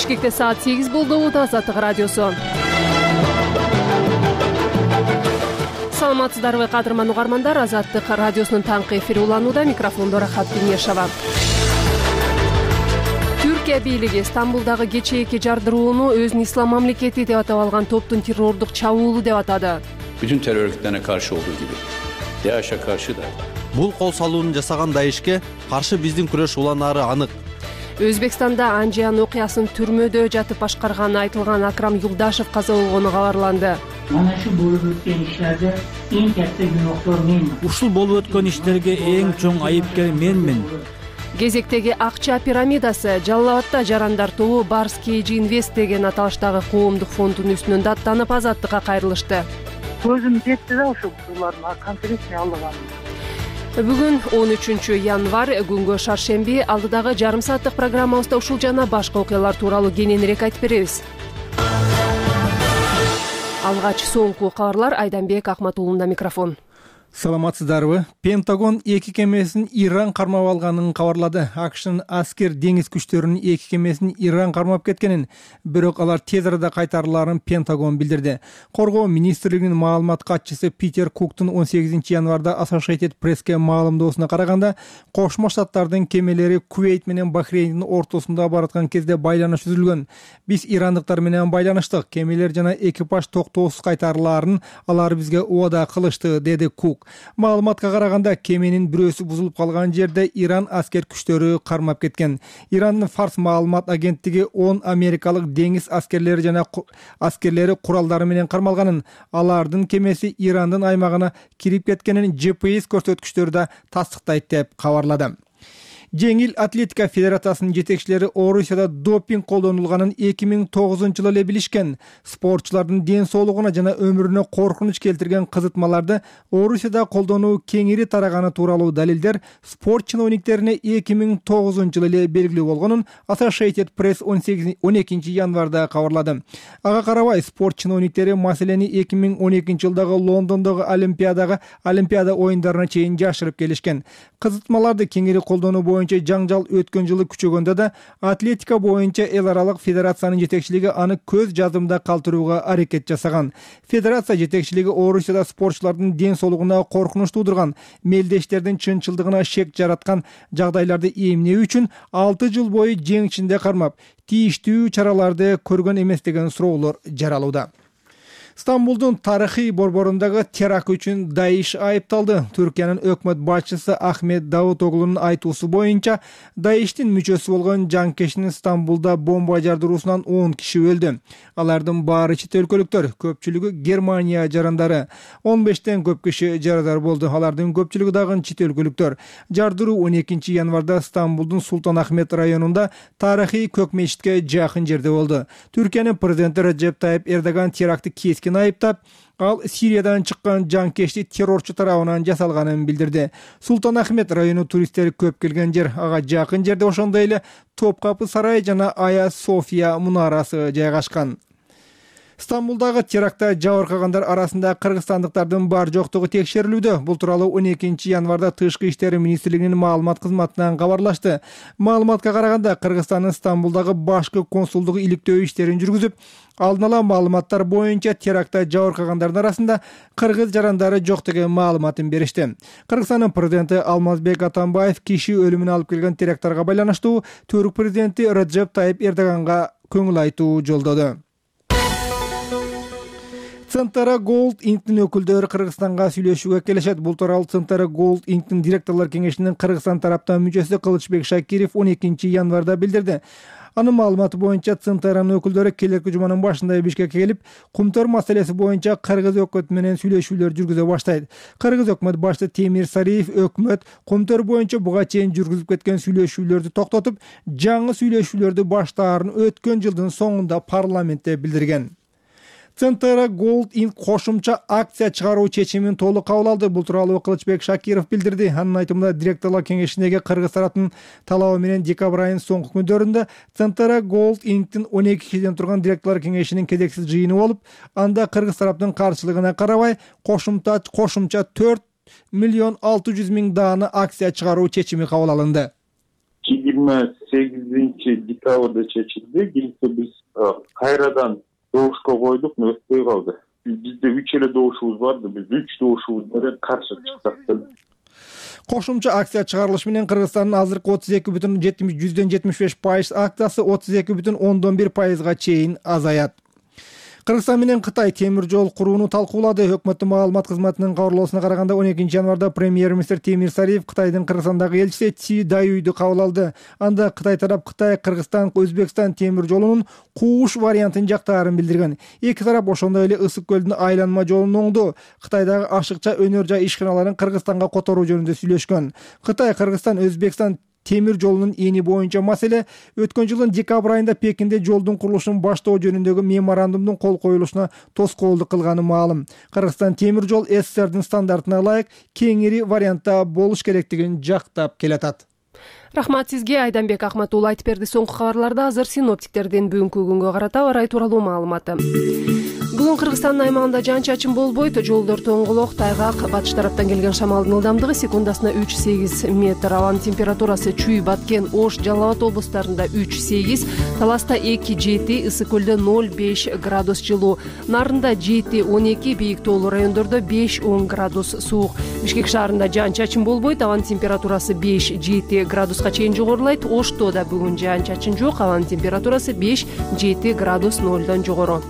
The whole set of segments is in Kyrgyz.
Бишкекте саат 8 болду. Азаттык радиосу. Саламатсыздарбы, кадырман угармандар. Азаттык радиосунун таңкы эфири уланууда. Микрофондо Рахат Кенешова. Түркия бийлиги Стамбулдагы кечээки жардырууну өзүнүн ислам мамлекети деп атап алган топтун террордук чабуулу деп атады. Bütün terör örgütlerine karşı olduğu gibi DAEŞ'e karşı da. Бул кол салууну жасаган ДАЭШке каршы биздин күрөш уланары анык. Өзбекстанда Анжиян окуясын түрмөдө жатып башкарганы айтылган Акрам Юлдашев каза болгону кабарланды. Mana şu болуп өткөн иштерде эң катта күнөөкөр мен. Ушул болуп өткөн иштерге эң чоң айыпкер менмин. Кезектеги акча пирамидасы Жалал Абадда жарандар тобу Барс Кейджи Инвест деген аталыштагы коомдук фонддун үстүнөн даттанып азаттыкка кайрылышты. Көзүм жетти да ошо булардын конкретный алган. Бүгүн 13 январь, күнгө шаршемби. Алдыдагы жарым сааттык программабызда ушул жана башка окуялар тууралуу кененирээк айтып беребиз. Алгач соңку кабарлар. Айданбек Акматулунда микрофон. Саламатсыздарбы? Пентагон эки кемесин Иран кармап алганын кабарлады. АКШнын аскер деңиз күчтөрүнүн эки кемесин Иран кармап кеткенин, бирок алар тез арада кайтарыларын Пентагон билдирди. Коргоо министрлигинин маалымат катчысы Питер Куктун 18 январда Associated Press'ке маалымдоосуна караганда, Кошмо Штаттардын кемелери Кувейт менен Бахрейндин ортосунда бараткан кезде байланыш түзүлгөн. Биз ирандыктар менен байланыштык. Кемелер жана экипаж токтоосуз кайтарыларын алар бизге убада кылышты, деди Кук. Маалыматка караганда, кеменин бирөөсү бузулуп калган жерде Иран аскер күчтөрү кармап кеткен. Ирандын Фарс маалымат агенттиги 10 америкалык деңиз аскерлери жана аскерлери куралдары менен кармалганын, алардын кемеси Ирандын аймагына кирип кеткенин GPS көрсөткүчтөрү да тастыктайт деп кабарлады. Жеңил атлетика федерациясынын жетекчилери Орусияда допинг колдонулганын 2009-жылы эле билишкен. Спортчулардын ден соолугуна жана өмүрүнө коркунуч келтирген кызытмаларды Орусияда колдонуу кеңири тараганы тууралуу далилдер спорт чиновниктерине 2009-жылы эле белгилүү болгонун Associated Press 12 январда кабарлады. Ага карабай, спорт чиновниктери маселени 2012-жылдагы Лондондогу Олимпиада оюндарына чейин жашырып келишкен. Кызытмаларды кеңири колдонуу боюнча жаңжал өткөн жылы күчөгөндө да атлетика боюнча эл аралык федерациянын жетекчилиги аны көз жаздымда калтырууга аракет жасаган. Федерация жетекчилиги Орусияда спортчулардын ден соолугуна коркунуч туудурган, мелдештердин чынчылдыгына шек жараткан жагдайларды эмнөө үчүн 6 жыл бою жең ичинде кармап, тийиштүү чараларды көргөн эмес деген суроолор жаралууда. Стамбулдун тарыхый борборундагы теракт үчүн ДАЭШ айыпталды. Түркиянын өкмөт башчысы Ахмет Давутоглунун айтуусу боюнча, ДАЭШтин мүчөсү болгон жанкештин Стамбулда бомба жардыруусунан 10 киши өлдү. Алардын баары чет өлкөлүктөр, көпчүлүгү Германия жарандары. 15тен көп киши жарадар болду. Алардын көпчүлүгү дагы чет өлкөлүктөр. Жардыруу 12 январда Стамбулдун Султан Ахмет районунда тарыхый көк мечитке жакын жерде болду. Түркиянын президенти Реджеп Тайип Эрдоган терактты айыптап, ал Сириядан чыккан жанкешти террорчу тарабынан жасалганын билдирди. Султан Ахмет району туристтер көп келген жер. Ага жакын жерде ошондой эле Топкапы сарай жана Ая София мунарасы жайгашкан. Стамбулдагы терактта жабыркагандар арасында кыргызстандыктардын бар жоктугу текшерилүүдө. Бул тууралуу 12 январда Тышкы иштер министрлигинин маалымат кызматынан кабарлашты. Маалыматка караганда, Кыргызстандын Стамбулдагы башкы консулдугу иликтөө иштерин жүргүзүп, алдын ала маалыматтар боюнча терактта жабыркагандардын арасында кыргыз жарандары жок деген маалыматын беришти. Кыргызстандын президенти Алмазбек Атамбаев киши өлүмүнө алып келген теракттарга байланыштуу Түрк президенти Реджеп Тайип Эрдоганга көңүл айтуу жолдоду. Центара Gold Inc.'nin өкүлдөрү Кыргызстанга сүйлөшүүгө келишет. Бул тууралуу Центара Gold Inc.'nin директорлор кеңешинин Кыргызстан тараптан мүчөсү Кылычбек Шакиров 12 январда билдирди. Анын маалыматы боюнча, Центаранын өкүлдөрү келерки жуманын башында Бишкекке келип, Кумтөр маселеси боюнча кыргыз өкмөтү менен сүйлөшүүлөр жүргүзө баштайт. Кыргыз өкмөт башчысы Темир Сариев өкмөт Кумтөр боюнча буга чейин жүргүзүп кеткен сүйлөшүүлөрдү токтотуп, жаңы сүйлөшүүлөрдү баштаарын өткөн жылдын соңунда парламентте билдирген. Центара Gold Inc. кошумча акция чыгаруу чечимин толук кабыл алды. Бул тууралуу Кылычбек Шакиров билдирди. Анын айтымында, директорлор кеңешиндеги кыргыз тараптын талабы менен декабрь айынын соңку күндөрүндө Центара Gold Inc.'тин 12 кишиден турган директорлор кеңешинин кезексиз жыйыны болуп, анда кыргыз тараптын каршылыгына карабай кошумча 4,6 миллион даана акция чыгаруу чечими кабыл алынды. Кийинки 28 декабрда чечилди. Кийинки биз кайрадан добушка койдук, өтпөй калды. Бизде 3 эле добушубуз барды. Биз 3 добушубуз менен каршы чыксак деп. Кошумча акция чыгарылышы менен Кыргызстандын азыркы 32,75% акциясы 32,1%га чейин азаят. Кыргызстан менен Кытай темир жол курууну талкуулады. Өкмөттүн маалымат кызматынын кабарлоосуна караганда 12 январда премьер-министр Темир Сариев Кытайдын Кыргызстандагы элчиси Ци Даюйду кабыл алды. Анда Кытай тарап Кытай, Кыргызстан, Өзбекстан темир жолунун кууш вариантын жактаарын билдирген. Эки тарап ошондой эле Ысык көлдүн айланма жолун оңду. Кытайдагы ашыкча өнөр жай ишканаларын Кыргызстанга которуу жөнүндө сүйлөшкөн. Кытай, Кыргызстан, Өзбекстан темир жолунун эни боюнча маселе өткөн жылдын декабрь айында Пекинде жолдун курулушун баштоо жөнүндөгү меморандумдун кол коюлушуна тоскоолдук кылганы маалым. Кыргызстан темир жол СССРдин стандартына ылайык кеңири вариантта болуш керектигин жактап келатат. Рахмат сизге, Айданбек Ахматулла айтып берди. Соңку кабарларда азыр синоптиктердин бүгүнкү күнгө карата аба ырайы тууралуу маалыматы. Бүгүн Кыргызстандын аймагында жаан-чачын болбойт, жолдор тоңголок, тайгак, батыш тараптан келген шамалдын ылдамдыгы секундасына 3-8 метр, абанын температурасы Чүй, Баткен, Ош, Жалал Абад облустарында 3-8, Таласта 2-7, Ысык көлдө 0-5 градус жылуу, Нарында 7-12, бийик тоолуу райондордо 5-10 градус суук. Бишкек шаарында жаан-чачын болбойт, абанын температурасы 5-7 градуска чейин жогорулайт. Ошто да бүгүн жаан-чачын жок, абанын температурасы 5-7 градус 0дон жогору.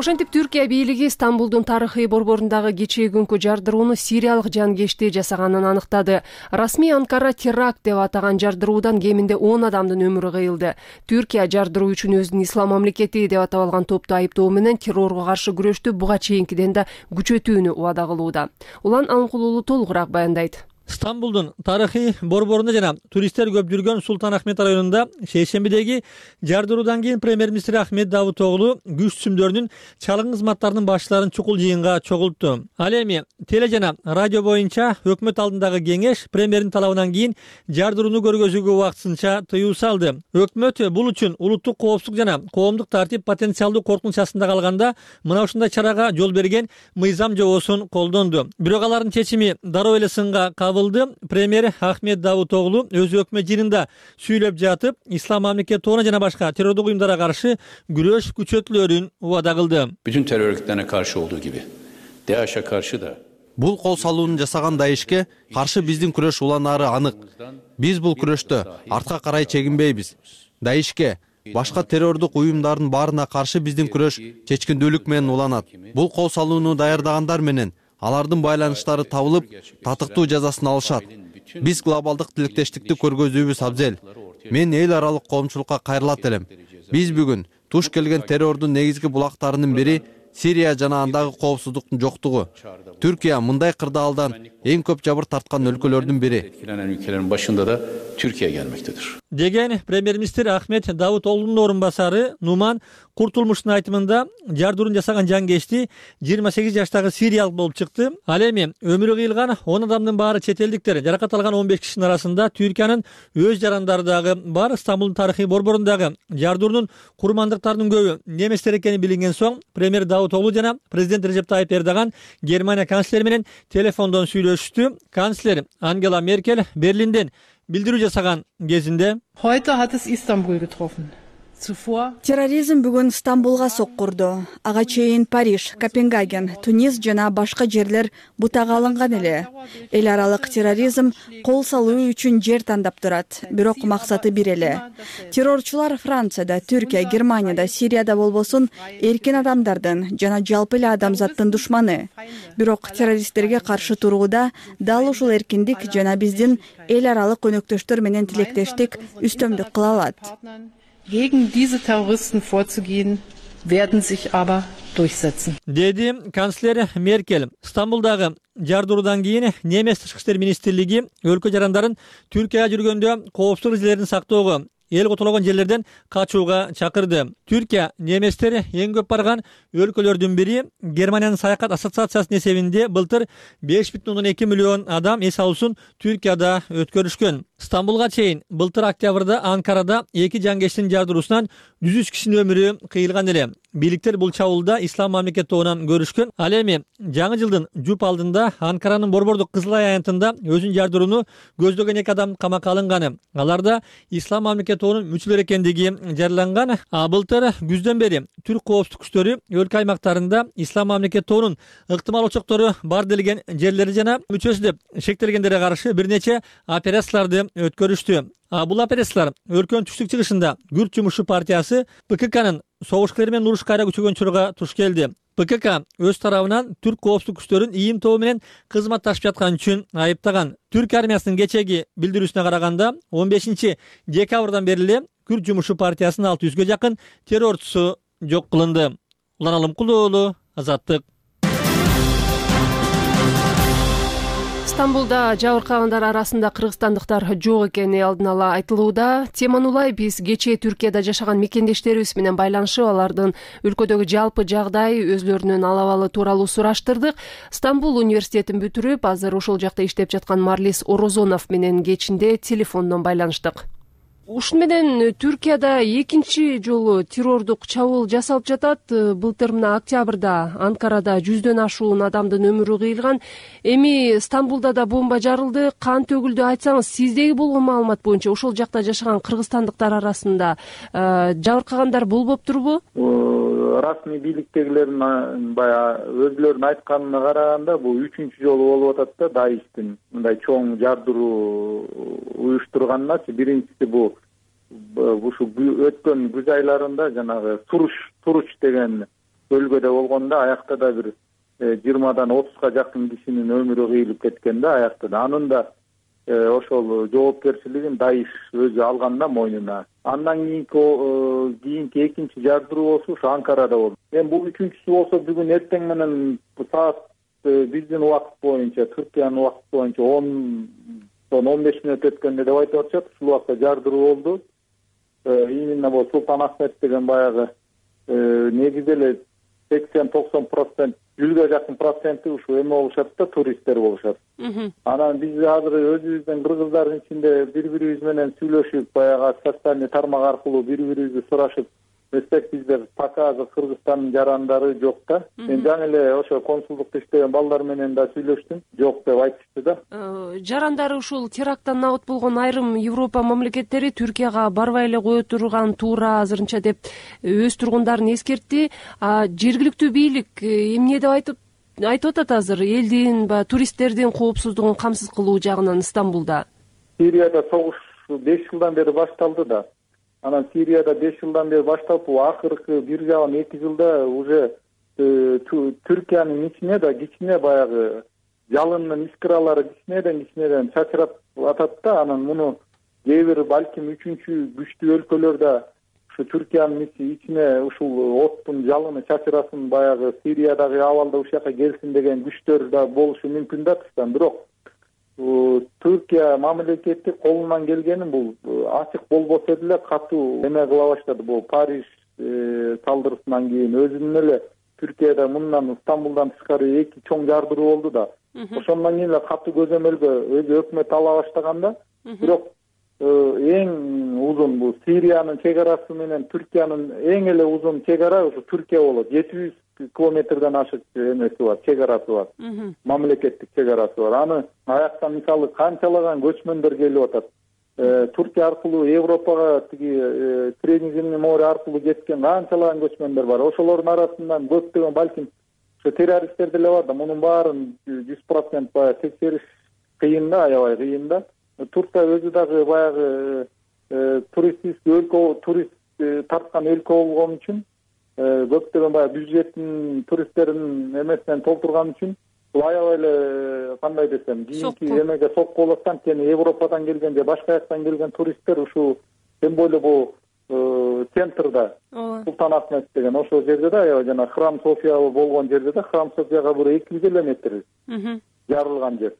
Ошентип Түркия бийлиги Стамбулдун тарыхый борборундагы кечээ күнкү жардырууну сириялык жангечти жасаганын аныктады. Расмий Анкара теракт деп атаган жардыруудан кеминде 10 адамдын өмүрү кыйылды. Түркия жардыруу үчүн өзүнүн ислам мамлекети деп атап алган топту айыптоо менен террорго каршы күрөштү буга чейинкиден да күчөтүүнү убада кылууда. Улан Алынкулуулу толугураак баяндайт. Стамбулдун тарыхый борборунда жана туристтер көп жүргөн Султан Ахмет районунда шейшембидеги жардыруудан кийин премьер-министр Ахмет Давутоглу күч түзүмдөрүнүн чалгын кызматтарынын башчыларын чукул жыйынга чогултту. Ал эми теле жана радио боюнча өкмөт алдындагы кеңеш премьердин талабынан кийин жардырууну көргөзүүгө убактысынча тыюу салды. Өкмөт бул үчүн улуттук коопсуздук жана коомдук тартип потенциалдуу коркунуч астында калганда мына ушундай чарага жол берген мыйзам жобосун колдонду. Бирок алардын чечими дароо эле сынга кабыл. Премьер Ахмет Давутоглу өз өкмөт жыйынында сүйлөп жатып, ислам мамлекет тобуна жана башка террордук уюмдарга каршы күрөш күчөтүлөрүн убада кылды. Bütün terör örgütlerine karşı olduğu gibi DAEŞ'e karşı da Бул кол салууну жасаган Даишке каршы биздин күрөш уланары анык. Биз бул күрөштө артка карай чегинбейбиз. Даишке башка террордук уюмдардын баарына каршы биздин күрөш чечкиндүүлүк менен уланат. Бул кол салууну даярдагандар менен алардын байланыштары табылып, татыктуу жазасын алышат. Биз глобалдык тилектештикти көргөзүүбүз абзел. Мен эл аралык коомчулукка кайрылат элем. Биз бүгүн туш келген террордун негизги булактарынын бири Сирия жана андагы коопсуздуктун жоктугу. Түркия мындай кырдаалдан эң көп жабыр тарткан өлкөлөрдүн бири. etkilenen ülkelerin başında da Türkiye gelmektedir. Деген премьер-министр Ахмет Давутоглунун орун басары Нуман Куртулмуштун айтымында жардыруун жасаган жангечти 28 жаштагы сириялык болуп чыкты. Ал эми өмүрү кыйылган 10 адамдын баары чет элдиктер, жаракат алган 15 кишинин арасында Түркиянын өз жарандары дагы бар. Стамбулдун тарыхый борборундагы жардыруунун курмандыктарынын көбү неместер экени билинген соң премьер Давутоглу жана президент Режеп Тайип Эрдоган Германия канцлери менен телефондон сүйлөшүштү. Канцлер Ангела Меркель Берлинден билдирүү жасаган кезинде Heute hat es Istanbul getroffen. Терроризм бүгүн Стамбулга соккурду. Ага чейин Париж, Копенгаген, Тунис жана башка жерлер бутага алынган эле. Эл аралык терроризм кол салуу үчүн жер тандап турат, бирок максаты бир эле. Террорчулар Францияда, Түркия, Германияда, Сирияда болбосун эркин адамдардын жана жалпы эле адамзаттын душманы. Бирок террористтерге каршы турууда дал ушул эркиндик жана биздин эл аралык өнөктөштөр менен тилектештик үстөмдүк кыла алат. Gegen diese Terroristen vorzugehen, werden sich aber durchsetzen. Деди канцлер Меркель. Стамбулдагы жардыруудан кийин Немец тышкы иштер министрлиги өлкө жарандарын Түркияга жүргөндө коопсуздук эрежелерин сактоого, эл котологон жерлерден качууга чакырды. Түркия неместер эң көп барган өлкөлөрдүн бири. Германиянын саякат ассоциациясынын эсебинде былтыр 5,2 миллион адам эс алуусун Түркияда өткөрүшкөн. Стамбулга чейин былтыр октябрда Анкарада 2 жангештин жардыруусунан 103 кишинин өмүрү кыйылган эле. Бийликтер бул чабуулда ислам мамлекети тобунан көрүшкөн. Ал эми жаңы жылдын жуп алдында Анкаранын Борбордук Кызыл Ай аянтында өзүн жардырууну көздөгөн 2 адам камакка алынган. Аларда ислам мамлекети тобунун мүчөлөрү экендиги жарыяланган. Былтыр күздөн бери түрк коопсуздук күчтөрү өлкө аймактарында ислам мамлекети тобунун ыктымал очоктору бар делген жерлери жана мүчөсү деп шектелгендерге каршы бир нече операцияларды өткөрүштү. Бул операциялар өлкөнүн түштүк-чыгышында Күрд жумушчу партиясы ПККнын согушкерлер менен уруш кайра күчөгөн чорго туш келди. ПКК өз тарабынан түрк коопсуздук күчтөрүн ИИМ тобу менен кызматташып жаткан үчүн айыптаган. Түрк армиясынын кечеги билдирүүсүнө караганда 15 декабрдан бери эле Күрд жумушчу партиясынын 600ге жакын террорчусу жок кылынды. Улан Алымкулуу уулу, Азаттык. Стамбулда жабыркагандар арасында кыргызстандыктар жок экени алдын ала айтылууда. Теманы улай биз кечээ Түркияда жашаган мекендештерибиз менен байланышып, алардын өлкөдөгү жалпы жагдай, өзлөрүнүн алабалы тууралуу сураштырдык. Стамбул университетин бүтүрүп, азыр ошол жакта иштеп жаткан Марлис Орозонов менен кечинде телефондон байланыштык. Ушун менен Түркияда экинчи жолу террордук чабуул жасалып жатат. Былтыр мына октябрда Анкарада 100дөн ашуун адамдын өмүрү кыйылган. Эми Стамбулда да бомба жарылды. Кан төгүлдү. Айтсаңыз, сиздеги болгон маалымат боюнча ошол жакта жашаган кыргызстандыктар арасында жабыркагандар болбоптурбу? Расмий бийликтегилердин баягы өзлөрүнүн айтканына караганда бул 3-чү жолу болуп атат да Даиштин мындай чоң жардыруу уюштурганначы. Биринчиси бул ушу өткөн күз айларында жанагы Туруч деген бөлгөдө болгондо, аякта да бир 20дан 30га жакын кишинин өмүрү кыйылып кеткен да аякта да. Анын да ошол жоопкерчилигин Даиш өзү алган да мойнуна. Андан кийинки экинчи жардыруу болсо ушу Анкарада болду. Эми бул үчүнчүсү болсо бүгүн эртең менен саат биздин убакыт боюнча, Түркиянын убакыты боюнча 10-15 мүнөт өткөндө деп айтып атышат. Ушул убакта жардыруу болду. Именно бул Султан Ахмет деген баягы негизи эле 80-90%, 100га жакын проценти ушу эме болушат да, туристтер болушат. Анан биз азыр өзүбүздүн кыргыздардын ичинде бири-бирибиз менен сүйлөшүп, баягы социальный тармак аркылуу бири-бирибизди сурашып эстекпиздер. Пока азыр Кыргызстандын жарандары жок да. Мен жаңы эле ошо консулдукта иштеген балдар менен да сүйлөштүм. Жок деп айтышты да. Жарандары ушул теракттан набыт болгон айрым Европа мамлекеттери Түркияга барбай эле кое турган туура азырынча деп өз тургундарын эскертти. Жергиликтүү бийлик эмне деп айтып атат азыр элдин туристтердин коопсуздугун камсыз кылуу жагынан Стамбулда? Сирияда согуш 5 жылдан бери башталды да. Анан Сирияда 5 жылдан бери башталып, акыркы 1,5-2 жылда уже Түркиянын ичине да кичине баягы жалындын искралары кичинеден чачырап атат да. Анан муну кээ бир балким 3-күчтүү өлкөлөрдө ушу Түркиянын ичине ушул оттун жалыны чачырасын, баягы Сириядагы абалда ушул жака келсин деген күчтөр да болушу мүмкүн да тыштан. Бирок Түркия мамлекети колунан келгенин бул ачык болбосо деле катуу эме кыла баштады. Бул Париж салдырысынан кийин өзүнүн эле Түркияда мындан Стамбулдан тышкары 2 чоң жардыруу болду да. Ошондон кийин эле катуу көзөмөлгө өзү өкмөт ала баштаганда, бирок эң узун бул Сириянын чек арасы менен Түркиянын эң эле узун чек ара ушу Түркия болот. 700 километрден ашык эмеси бар, чек арасы бар. Мамлекеттик чек арасы бар. Аны аяктан мисалы канчалаган көчмөндөр келип атат. Түркия аркылуу Европага тиги Средиземный море аркылуу кеткен канчалаган көчмөндөр бар. Ошолордун арасынан көптөгөн балким ошо террористтер деле бар да. Мунун баарын 100% баягы текшериш кыйын да, аябай кыйын да. Турция өзү дагы баягы турист тарткан өлкө болгон үчүн, көптөгөн баягы бюджеттин туристтердин эмесинен толтурган үчүн бул аябай эле кандай десем, кийинки эмеге сокку болот. Анткени Европадан келген же башка жактан келген туристтер ушул тем более бул центрда Султан Ахмет деген ошол жерде да, аябай жана Храм София болгон жерде да, Храм Софияга бир 200 километр жарылган жер.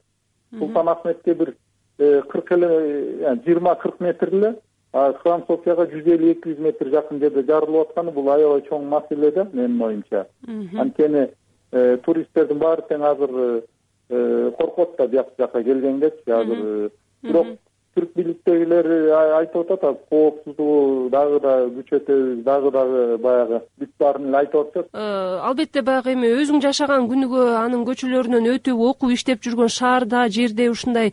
Султан Ахметке бир 20-40 метр эле, Храм Софияга 150-200 метр жакын жерде жарылып атканы бул аябай чоң маселе да менин оюмча. Анткени туристтердин баары тең азыр коркот да бияк жака келгенгечи азыр. Бирок түрк бийликтегилер айтып атат, коопсуздугу дагы да күчөтөбүз, дагы баягы бүт баарын эле айтып атышат. Албетте баягы эми өзүң жашаган күнүгө анын көчөлөрүнөн өтүп окуп иштеп жүргөн шаарда, жерде ушундай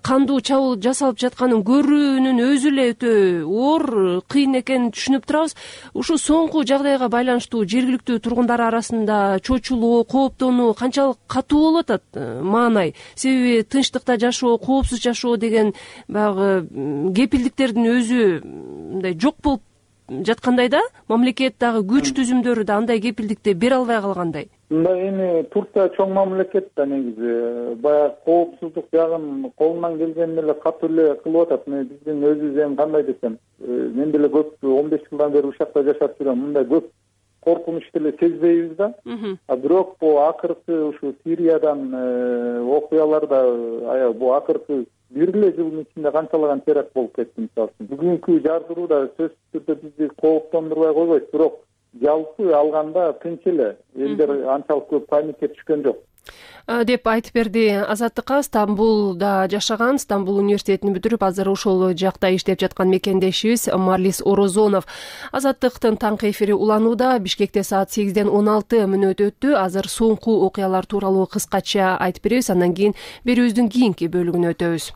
кандуу чабуул жасалып жатканын көрүүнүн өзү эле өтө оор, кыйын экенин түшүнүп турабыз. Ушул соңку жагдайга байланыштуу жергиликтүү тургундар арасында чочулоо, кооптонуу канчалык катуу болуп атат маанай? Себеби тынчтыкта жашоо, коопсуз жашоо деген баягы кепилдиктердин өзү мындай жок болуп жаткандай да, мамлекет дагы күч түзүмдөрү да андай кепилдикти бере албай калгандай. Мындай эми Турция чоң мамлекет да негизи баягы коопсуздук жагын колунан келгенин эле катуу эле кылып атат. Биздин өзүбүз эми кандай десем, мен деле көп 15 жылдан бери ушакта жашап жүрөм. Мындай көп коркунучту эле сезбейбиз да. Бирок бул акыркы ушу Сириядан окуяларда бул акыркы бир эле жылдын ичинде канчалаган теракт болуп кетти мисалы үчүн. Бүгүнкү жардыруу да сөзсүз түрдө бизди кооптондурбай койбойт, бирок жалпы алганда тынч эле. Элдер анчалык көп паникке түшкөн жок деп айтып берди Азаттыкка Стамбулда жашаган, Стамбул университетин бүтүрүп, азыр ошол жакта иштеп жаткан мекендешибиз Марлис Орозонов. Азаттыктын таңкы эфири уланууда. Бишкекте саат 8ден 16 мүнөт өттү. Азыр соңку окуялар тууралуу кыскача айтып беребиз, андан кийин берүүбүздүн кийинки бөлүгүнө өтөбүз.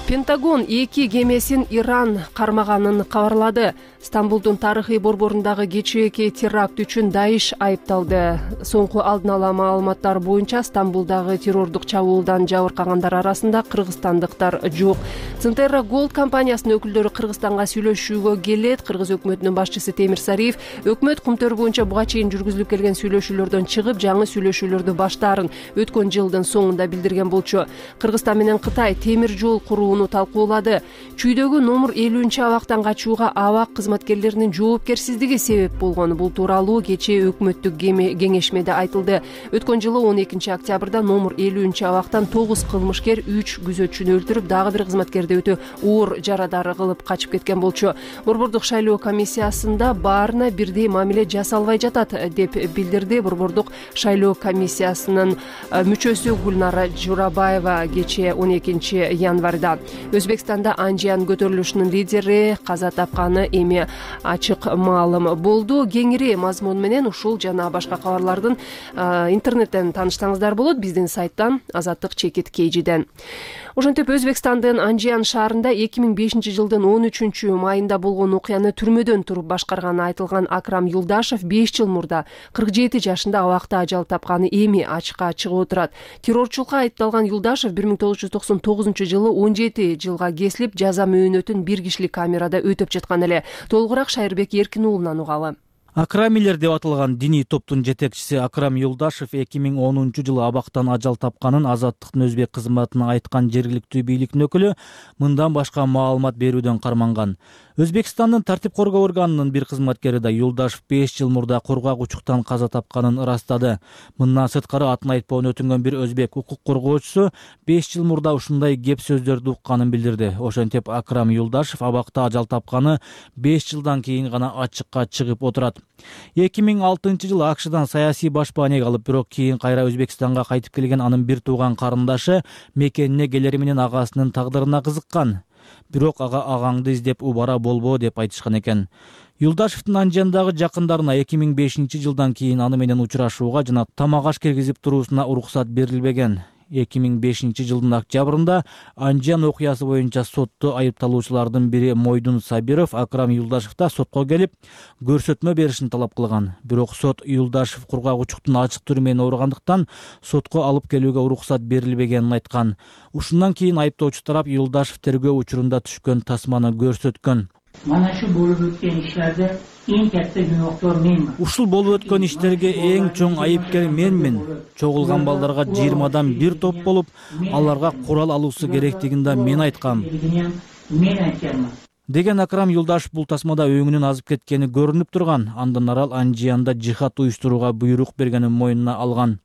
Пентагон 2 кемесин Иран кармаганын кабарлады. Стамбулдун тарыхый борборундагы кечээки теракт үчүн Даиш айыпталды. Соңку алдын ала маалыматтар боюнча Стамбулдагы террордук чабуулдан жабыркагандар арасында кыргызстандыктар жок. Центерра Gold компаниясынын өкүлдөрү Кыргызстанга сүйлөшүүгө келет. Кыргыз өкмөтүнүн башчысы Темир Сариев өкмөт кумтөр боюнча буга чейин жүргүзүлүп келген сүйлөшүүлөрдөн чыгып, жаңы сүйлөшүүлөрдү баштаарын өткөн жылдын соңунда билдирген болчу. Кыргызстан менен Кытай темир жол курууну талкуулады. Чүйдөгү номер 50-абактан качууга абак кызматкерлеринин жоопкерсиздиги себеп болгон. Бул тууралуу кечээ өкмөттүк кеңешмеде айтылды. Өткөн жылы 12 октябрда номер 50-абактан 9 кылмышкер 3 күзөтчүнү өлтүрүп, дагы бир кызматкерди өтө оор жарадар кылып качып кеткен болчу. Борбордук шайлоо комиссиясында баарына бирдей мамиле жасалбай жатат деп билдирди Борбордук шайлоо комиссиясынын мүчөсү Гүлнара Журабаева кечээ 12 январда. Өзбекстанда Анжиян көтөрүлүшүнүн лидери каза тапканы эми ачык маалым болду. Кеңири мазмун менен ушул жана башка кабарлардын интернеттен тааныштаңыздар болот, биздин сайттан Azatlyk-KG'den. Ошентип Өзбекстандын Анжиян шаарында 2005 жылдын 13 майында болгон окуяны түрмөдөн туруп башкарганы айтылган Акрам Юлдашев 5 жыл мурда 47 жашында абакта ажал тапканы эми ачыкка чыгып отурат. Террорчулукка айыпталган Юлдашев 1999 жылы 17 жылга кесилип, жаза мөөнөтүн бир кишилик камерада өтөп жаткан эле. Толугураак Шайырбек Эркин уулунан угалы. Акрамилер деп аталган диний топтун жетекчиси Акрам Юлдашев 2010 жылы абактан ажал тапканын Азаттыктын өзбек кызматына айткан жергиликтүү бийликтин өкүлү мындан башка маалымат берүүдөн карманган. Өзбекстандын тартип коргоо органынын бир кызматкери да Юлдашев 5 жыл мурда кургак-учуктан каза тапканын ырастады. Мындан сырткары атын айтпоон өтүнгөн бир өзбек укук коргоочусу 5 жыл мурда ушундай кеп сөздөрдү укканын билдирди. Ошентип Акрам Юлдашев абакта ажал тапканы 5 жылдан кийин гана ачыкка чыгып отурат. 2006 жылы АКШдан саясий башбаанеге алып, бирок кийин кайра Өзбекстанга кайтып келген анын бир тууган карындашы мекенине келери менен агасынын тагдырына кызыккан. Бирок агаңды издеп убара болбоо деп айтышкан экен. Юлдашевдин Анжияндагы жакындарына 2005 жылдан кийин аны менен учурашууга жана тамак аш киргизип туруусуна уруксат берилбеген. 2005 жылдын октябрында Анжиян окуясы боюнча сотто айыпталуучулардын бири Мойдун Сабиров Акрам Юлдашевда сотко келип көрсөтмө беришин талап кылган. Бирок сот Юлдашев кургак-учуктун ачык түрү менен ооругандыктан сотко алып келүүгө уруксат берилбегенин айткан. Ушундан кийин айыптоочу тарап Юлдашев тергөө учурунда түшкөн тасманы көрсөткөн. Mana şu bolup ötken işlerde en katta günahkor menman. Ушул болуп өткөн иштерге эң чоң айыпкер менмин. Чогулган балдарга 20 бир топ болуп, аларга курал алуусу керектигин да мен айткам. Men aytganman. Деген Акрам Юлдашев бул тасмада өңүнүн азып кеткени көрүнүп турган. Андан арал Анжиянда жихад уюштурууга буйрук бергенин мойнуна алган.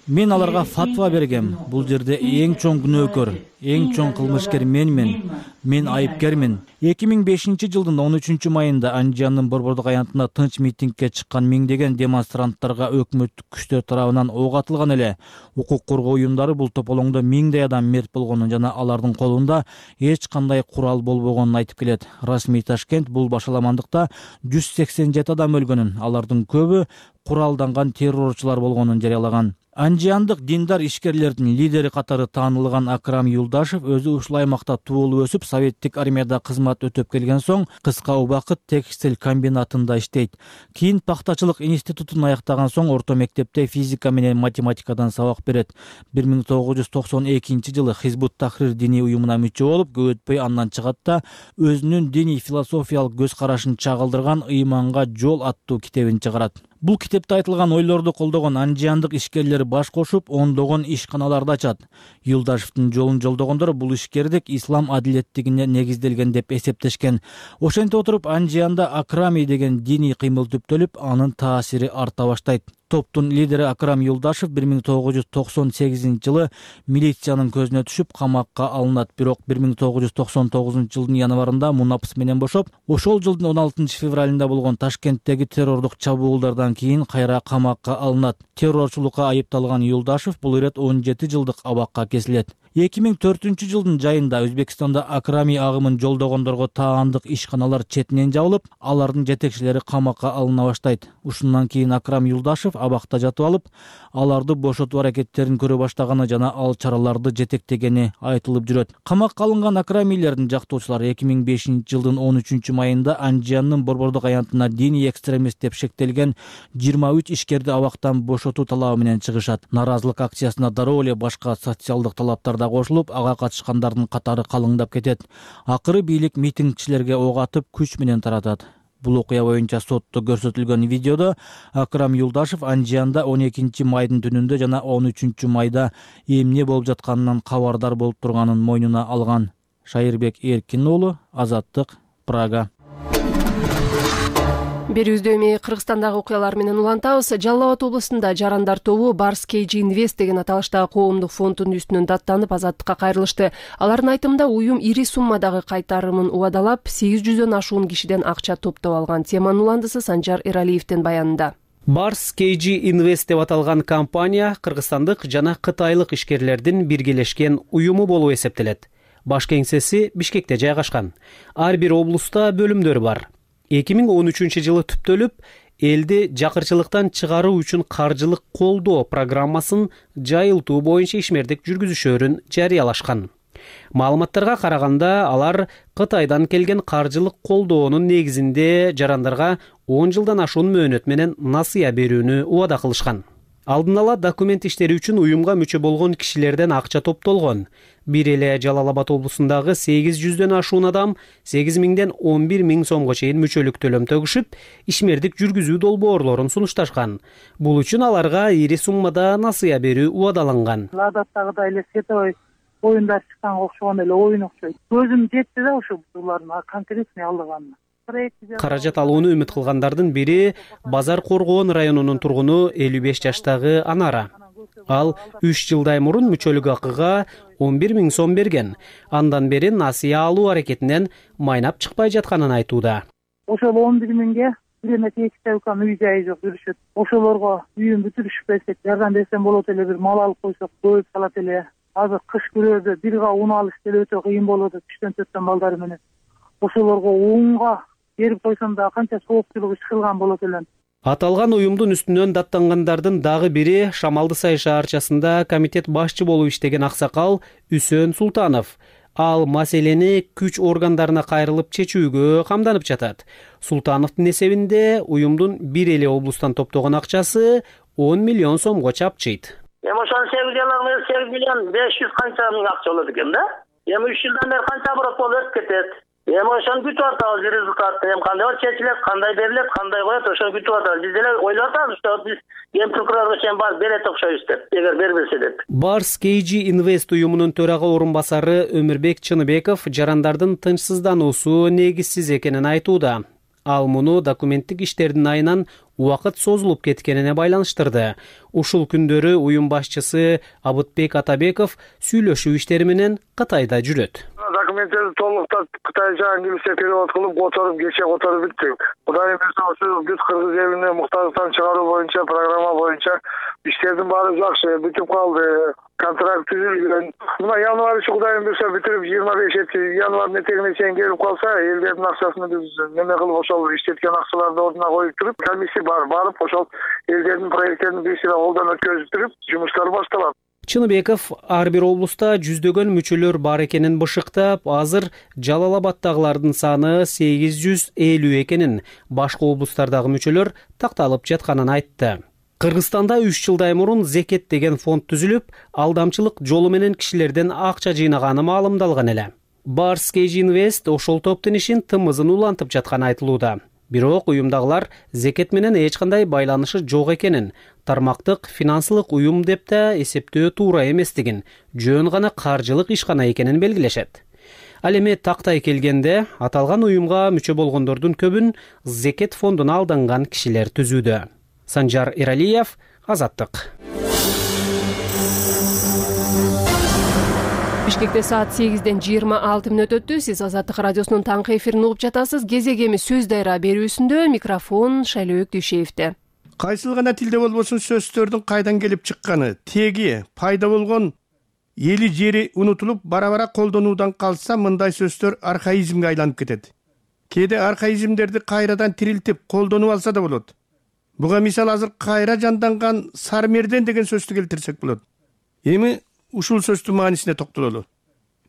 Мен аларга фатва бергем. Бул жерде эң чоң күнөөкөр, Эң чоң кылмышкер мен айыпкермин. 2005 жылдын 13 майында Анжиандын борбордук аянтында тынч митингге чыккан миңдеген демонстранттарга өкмөттүк күчтөр тарабынан ок атылган эле. Укук коргоо уюмдары бул тополоңдо миңдей адам мерт болгонун жана алардын колунда эч кандай курал болбогонун айтып келет. Расмий Ташкент бул башаламандыкта 187 адам өлгөнүн, алардын көбү куралданган террорчулар болгонун жарыялаган. Анжиандык диндар ишкерлердин лидери катары таанылган Акрам Юлдашев өзү ушул аймакта туулуп өсүп, советтик армияда кызмат өтөп келген соң кыска убакыт текстиль комбинатында иштейт. Кийин пактачылык институтун аяктаган соң орто мектепте физика менен математикадан сабак берет. 1992 жылы Хизбут Тахрир диний уюмуна мүчө болуп, көп өтпөй андан чыгат да өзүнүн диний философиялык көз карашын чагылдырган «Ыйманга жол» аттуу китебин чыгарат. Бул китепте айтылган ойлорду колдогон анжиандык ишкерлер баш кошуп, ондогон ишканаларды ачат. Юлдашевдин жолун жолдогондор бул ишкердик ислам адилеттигине негизделген деп эсептешкен. Ошентип отуруп Анжианда Акрами деген диний кыймыл түптөлүп, анын таасири арта баштайт. Топтун лидери Акрам Юлдашев 1998 жылы милициянын көзүнө түшүп камакка алынат. Бирок 1999 жылдын январында мунапс менен бошоп, ошол жылдын 16 февралында болгон Ташкенттеги террордук чабуулдардан кийин кайра камакка алынат. Террорчулукка айыпталган Юлдашев бул ирет 17 жылдык абакка кесилет. 2004 жылдын жайында Өзбекстанда Акрами агымын жолдогондорго таандык ишканалар четинен жабылып, алардын жетекчилери камакка алына баштайт. Ушундан кийин Акрам Юлдашев абакта жатып алып, аларды бошотуу аракеттерин көрө баштаганы жана ал чараларды жетектегени айтылып жүрөт. Камакка алынган Акрамилердин жактоочулары 2005 жылдын 13 майында Анжиандын борбордук аянтына диний экстремист деп шектелген 23 ишкерди абактан бошотуу талабы менен чыгышат. Наразылык акциясына дароо эле башка социалдык талаптар кошулуп, ага катышкандардын катары калыңдап кетет. Акыры бийлик митингчилерге ок атып, күч менен таратат. Бул окуя боюнча сотто көрсөтүлгөн видеодо Акрам Юлдашев Анжианда 12 майдын түнүндө жана 13 майда эмне болуп жатканынан кабардар болуп турганын мойнуна алган. Шайырбек Эркин уулу, Азаттык, Прага. Берүүбүздө эми Кыргызстандагы окуялар менен улантабыз. Жалал Абад облусунда жарандар тобу Барс KG Invest деген аталыштагы коомдук фонддун үстүнөн даттанып Азаттыкка кайрылышты. Алардын айтымында уюм ири суммадагы кайтарымын убадалап, 800дөн ашуун кишиден акча топтоп алган. Теманын уландысы Санжар Эралиевдин баянында. Барс KG Invest деп аталган компания кыргызстандык жана кытайлык ишкерлердин биргелешкен уюму болуп эсептелет. Баш кеңсеси Бишкекте жайгашкан. Ар бир облуста бөлүмдөр бар. 2013 жылы түптөлүп, элди жакырчылыктан чыгаруу үчүн каржылык колдоо программасын жайылтуу боюнча ишмердик жүргүзүшөрүн жарыялашкан. Маалыматтарга караганда, алар Кытайдан келген каржылык колдоонун негизинде жарандарга 10 жылдан ашуун мөөнөт менен насыя берүүнү убада кылышкан. Алдын ала документ иштери үчүн уюмга мүчө болгон кишилерден акча топтолгон. Бир эле Жалал Абад облусундагы 800дөн ашуун адам 8000ден 11000 сомго чейин мүчөлүк төлөм төгүшүп, ишмердик жүргүзүү долбоорлорун сунушташкан. Бул үчүн аларга ири суммада насыя берүү убадаланган. Адаттагыдай эле световой оюндар чыкканга окшогон эле оюн окшойт. Көзүм жетти да ошо булардын конкретный алдыганына. Каражат алууну үмүт кылгандардын бири Базар Коргоон районунун тургуну 55 жаштагы Анара. Ал 3 жылдай мурун мүчөлүк акыга 11000 сом берген. Андан бери насыя алуу аракетинен майнап чыкпай жатканын айтууда. Ошол 11000ге бирөөнө тегиштүү үй жайы жок жүрүшөт. Ошолорго үйүн бүтүрүшүп берсек, жардам берсем болот эле, бир мал алып койсок көбөйүп калат эле. Азыр кыш күрөдө бир га ун алыш деле өтө кыйын болот, 3-4 балдары менен. Ошолорго унга берип койсом да канча соопчулук иш кылган болот элем. Аталган уюмдун үстүнөн даттангандардын дагы бири Шамалды Сай шаарчасында комитет башчы болуп иштеген аксакал Үсөн Султанов. Ал маселени күч органдарына кайрылып чечүүгө камданып жатат. Султановдун эсебинде уюмдун бир эле облустан топтогон акчасы 10 миллион сомго чапчыйт. Ошон 8 миллион 500 канча миң акча болот экен да. 3 жылдан бери канча оборот болуп өтүп кетет. Ошону күтүп атабыз результатын. Кандай чечилет, кандай берилет, кандай коет, ошону күтүп атабыз. Биз деле ойлоп атабыз, что биз Ген прокурорго чейин барып берет окшойбуз деп, эгер бербесе деп. Барс KG Invest уюмунун төрага орун басары Өмүрбек Чыныбеков жарандардын тынчсыздануусу негизсиз экенин айтууда. Ал муну документтик иштердин айынан убакыт созулуп кеткенине байланыштырды. Ушул күндөрү уюм башчысы Абытбек Атабеков сүйлөшүү иштери менен Кытайда жүрөт. Документтерди толуктап кытайча англисче перевод кылып которуп бүттүк. Кудай берсе ошо бүт кыргыз элине муктаждыктан чыгаруу боюнча программа боюнча иштердин баары жакшы бүтүп калды. Контракт түзүлгөн. Мына январь Кудай берсе бүтүрүп 25 январь этегине чейин келип калса, элдердин акчасын биз неме кылып ошол иштеткен акчаларды ордуна коюп туруп, комиссия барып ошол элдердин проекттерин бирсине колдон өткөзүп туруп, жумуштар башталат. Чыныбеков ар бир облуста жүздөгөн мүчөлөр бар экенин бышыктап, азыр Жалал-Абаддагылардын саны 850 экенин, башка облустардагы мүчөлөр такталып жатканын айтты. Кыргызстанда 3 жылдай мурун Зекет деген фонд түзүлүп, алдамчылык жолу менен кишилерден акча жыйнаганы маалымдалган эле. Барс Кейж Инвест ошол топтун ишин тымызын улантып жатканы айтылууда. Бирок уюмдагылар Зекет менен эч кандай байланышы жок экенин, тармактык финансылык уюм деп да эсептөө туура эместигин, жөн гана каржылык ишкана экенин белгилешет. Ал эми тактай келгенде аталган уюмга мүчө болгондордун көбүн Зекет фондуна алданган кишилер түзүүдө. Санжар Иралиев, Азаттык. Бишкекте саат 8:26 өттү. Сиз Азаттык радиосунун таңкы эфирин угуп жатасыз. Кезегеми сөз дайра берүүсүндө микрофон Шайлөөк Дүйшеевде. Кайсыл гана тилде болбосун сөздөрдүн кайдан келип чыкканы, теги, пайда болгон эли жери унутулуп, бара-бара колдонуудан калса, мындай сөздөр архаизмге айланып кетет. Кээде архаизмдерди кайрадан тирилтип, колдонуп алса да болот. Буга мисал азыр кайра жанданган сармерден деген сөздү келтирсек болот. Эми ушул сөздүн маанисине токтололу.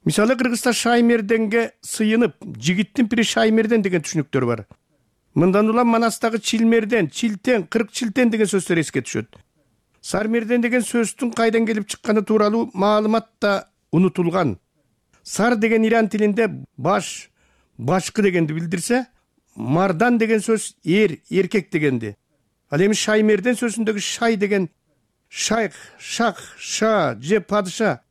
Мисалы Кыргызста шаймерденге сыйынып, жигиттин пири шаймерден деген түшүнүктөр бар. Мындан улам Манастагы чилмерден, чилтен, 40 чилтен деген сөздөр эске түшөт. Сармерден деген сөздүн кайдан келип чыкканы тууралуу маалымат да унутулган. Сар деген иран тилинде баш, башкы дегенди билдирсе, мардан деген сөз эркек дегенди. Ал эми шаймерден сөзүндөгү шай деген шайх, шах, ша же падыша,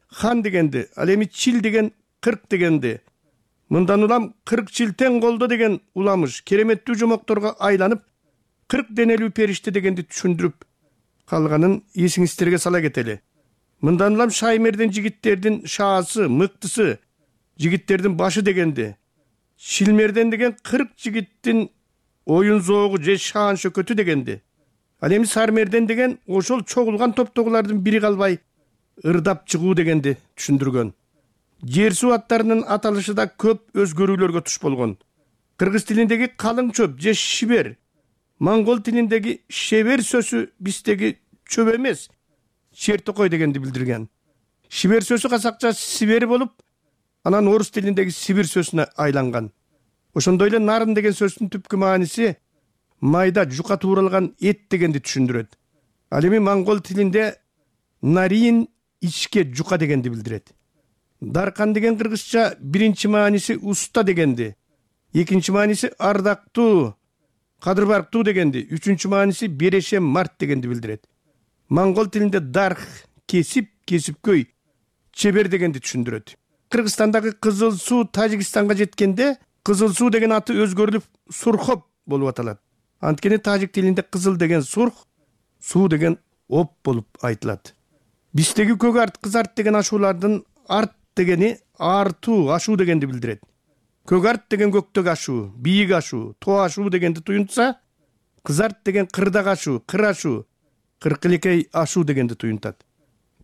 хан дегенди. Ал эми чил деген 40 дегенди. Мындан улам 40 чилтен колдо деген уламыш кереметтүү жомокторго айланып 40 денелүү периште дегенди түшүндүрүп калганын эсиңиздерге сала кетели. Мындан улам шаймерден жигиттердин шаасы, мыктысы, жигиттердин башы дегенди. Чилмерден деген 40 жигиттин оюн зоогу же шаан шөкөтү дегенди. Ал эми сармерден деген ошол чогулган топтогулардын бири калбай ырдап чыгуу дегенди түшүндүргөн. Жер суу аттарынын аталышы да көп өзгөрүүлөргө туш болгон. Кыргыз тилиндеги калың чөп же шибер, монгол тилиндеги шебер сөзү биздеги чөп эмес, чертокой дегенди билдирген. Шибер сөзү казакча сибер болуп, анан орус тилиндеги сибир сөзүнө айланган. Ошондой эле нарын деген сөздүн түпкү мааниси майда жука тууралган эт дегенди түшүндүрөт. Ал эми монгол тилинде нарин ичке жука дегенди билдирет. Даркан деген кыргызча биринчи мааниси уста дегенди, экинчи мааниси ардактуу, кадырбарктуу дегенди, үчүнчү мааниси берешем март дегенди билдирет. Монгол тилинде дарх кесип, кесипкөй, чебер дегенди түшүндүрөт. Кыргызстандагы Кызыл суу Тажикстанга жеткенде Кызыл суу деген аты өзгөрүлүп Сурхоп болуп аталат. Анткени тажик тилинде кызыл деген сурх, суу деген оп болуп айтылат. Биздеги көк арт, кыз арт деген ашуулардын арт дегени артуу, ашуу дегенди билдирет. Көк арт деген көктөгү ашуу, бийик ашуу, тоо ашуу дегенди туюнтса, кыз арт деген кырдак ашуу, кыр ашуу, кыркылекей ашуу дегенди туюнтат.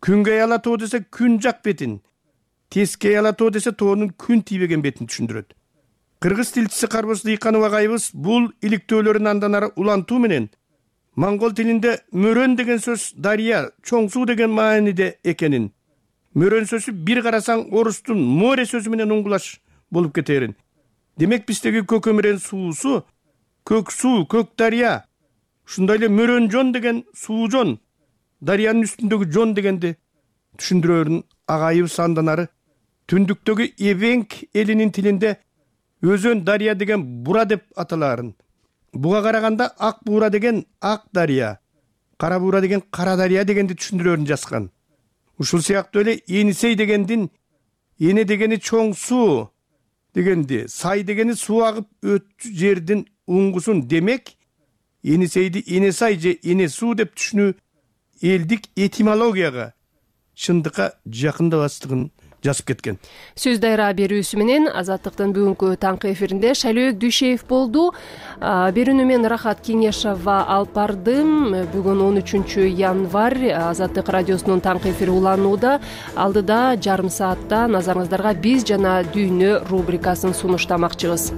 Күнгөй ала тоо десе күн жак бетин, тескей ала тоо десе тоонун күн тийбеген бетин түшүндүрөт. Кыргыз тилчиси Карбоз Дыйканов агайыбыз бул иликтөөлөрүн андан ары улантуу менен монгол тилинде мөрөн деген сөз дарыя, чоң суу деген мааниде экенин, мөрөн сөзү бир карасаң орустун море сөзү менен уңгулаш болуп кетерин. Демек биздеги көкөмүрен суусу көк суу, көк дарыя. Ушундай эле мөрөн жон деген суу жон, дарыянын үстүндөгү жон дегенди түшүндүрөрүн агайыбыз андан ары түндүктөгү Эвенк элинин тилинде өзөн дарыя деген бура деп аталаарын. Буга караганда ак бура деген ак дарыя, кара бура деген кара дарыя дегенди түшүндүрөрүн жазган. Ушул сыяктуу эле Енисей дегендин эне дегени чоң суу, дегенди сай дегени суу агып өтчү жердин уңгусун демек энесейди эне сай же эне суу деп түшүнүү элдик этимологияга чындыкка жакындабастыгын жазып кеткен. Сөз дайра берүүсү менен Азаттыктын бүгүнкү таңкы эфиринде Шайлөөк Дүйшеев болду. Берүүнү мен Рахат Кеңешова алып бардым. Бүгүн 13 январь Азаттык радиосунун таңкы эфири уланууда. Алдыда жарым саатта назарыңыздарга биз жана дүйнө рубрикасын сунуштамакчыбыз.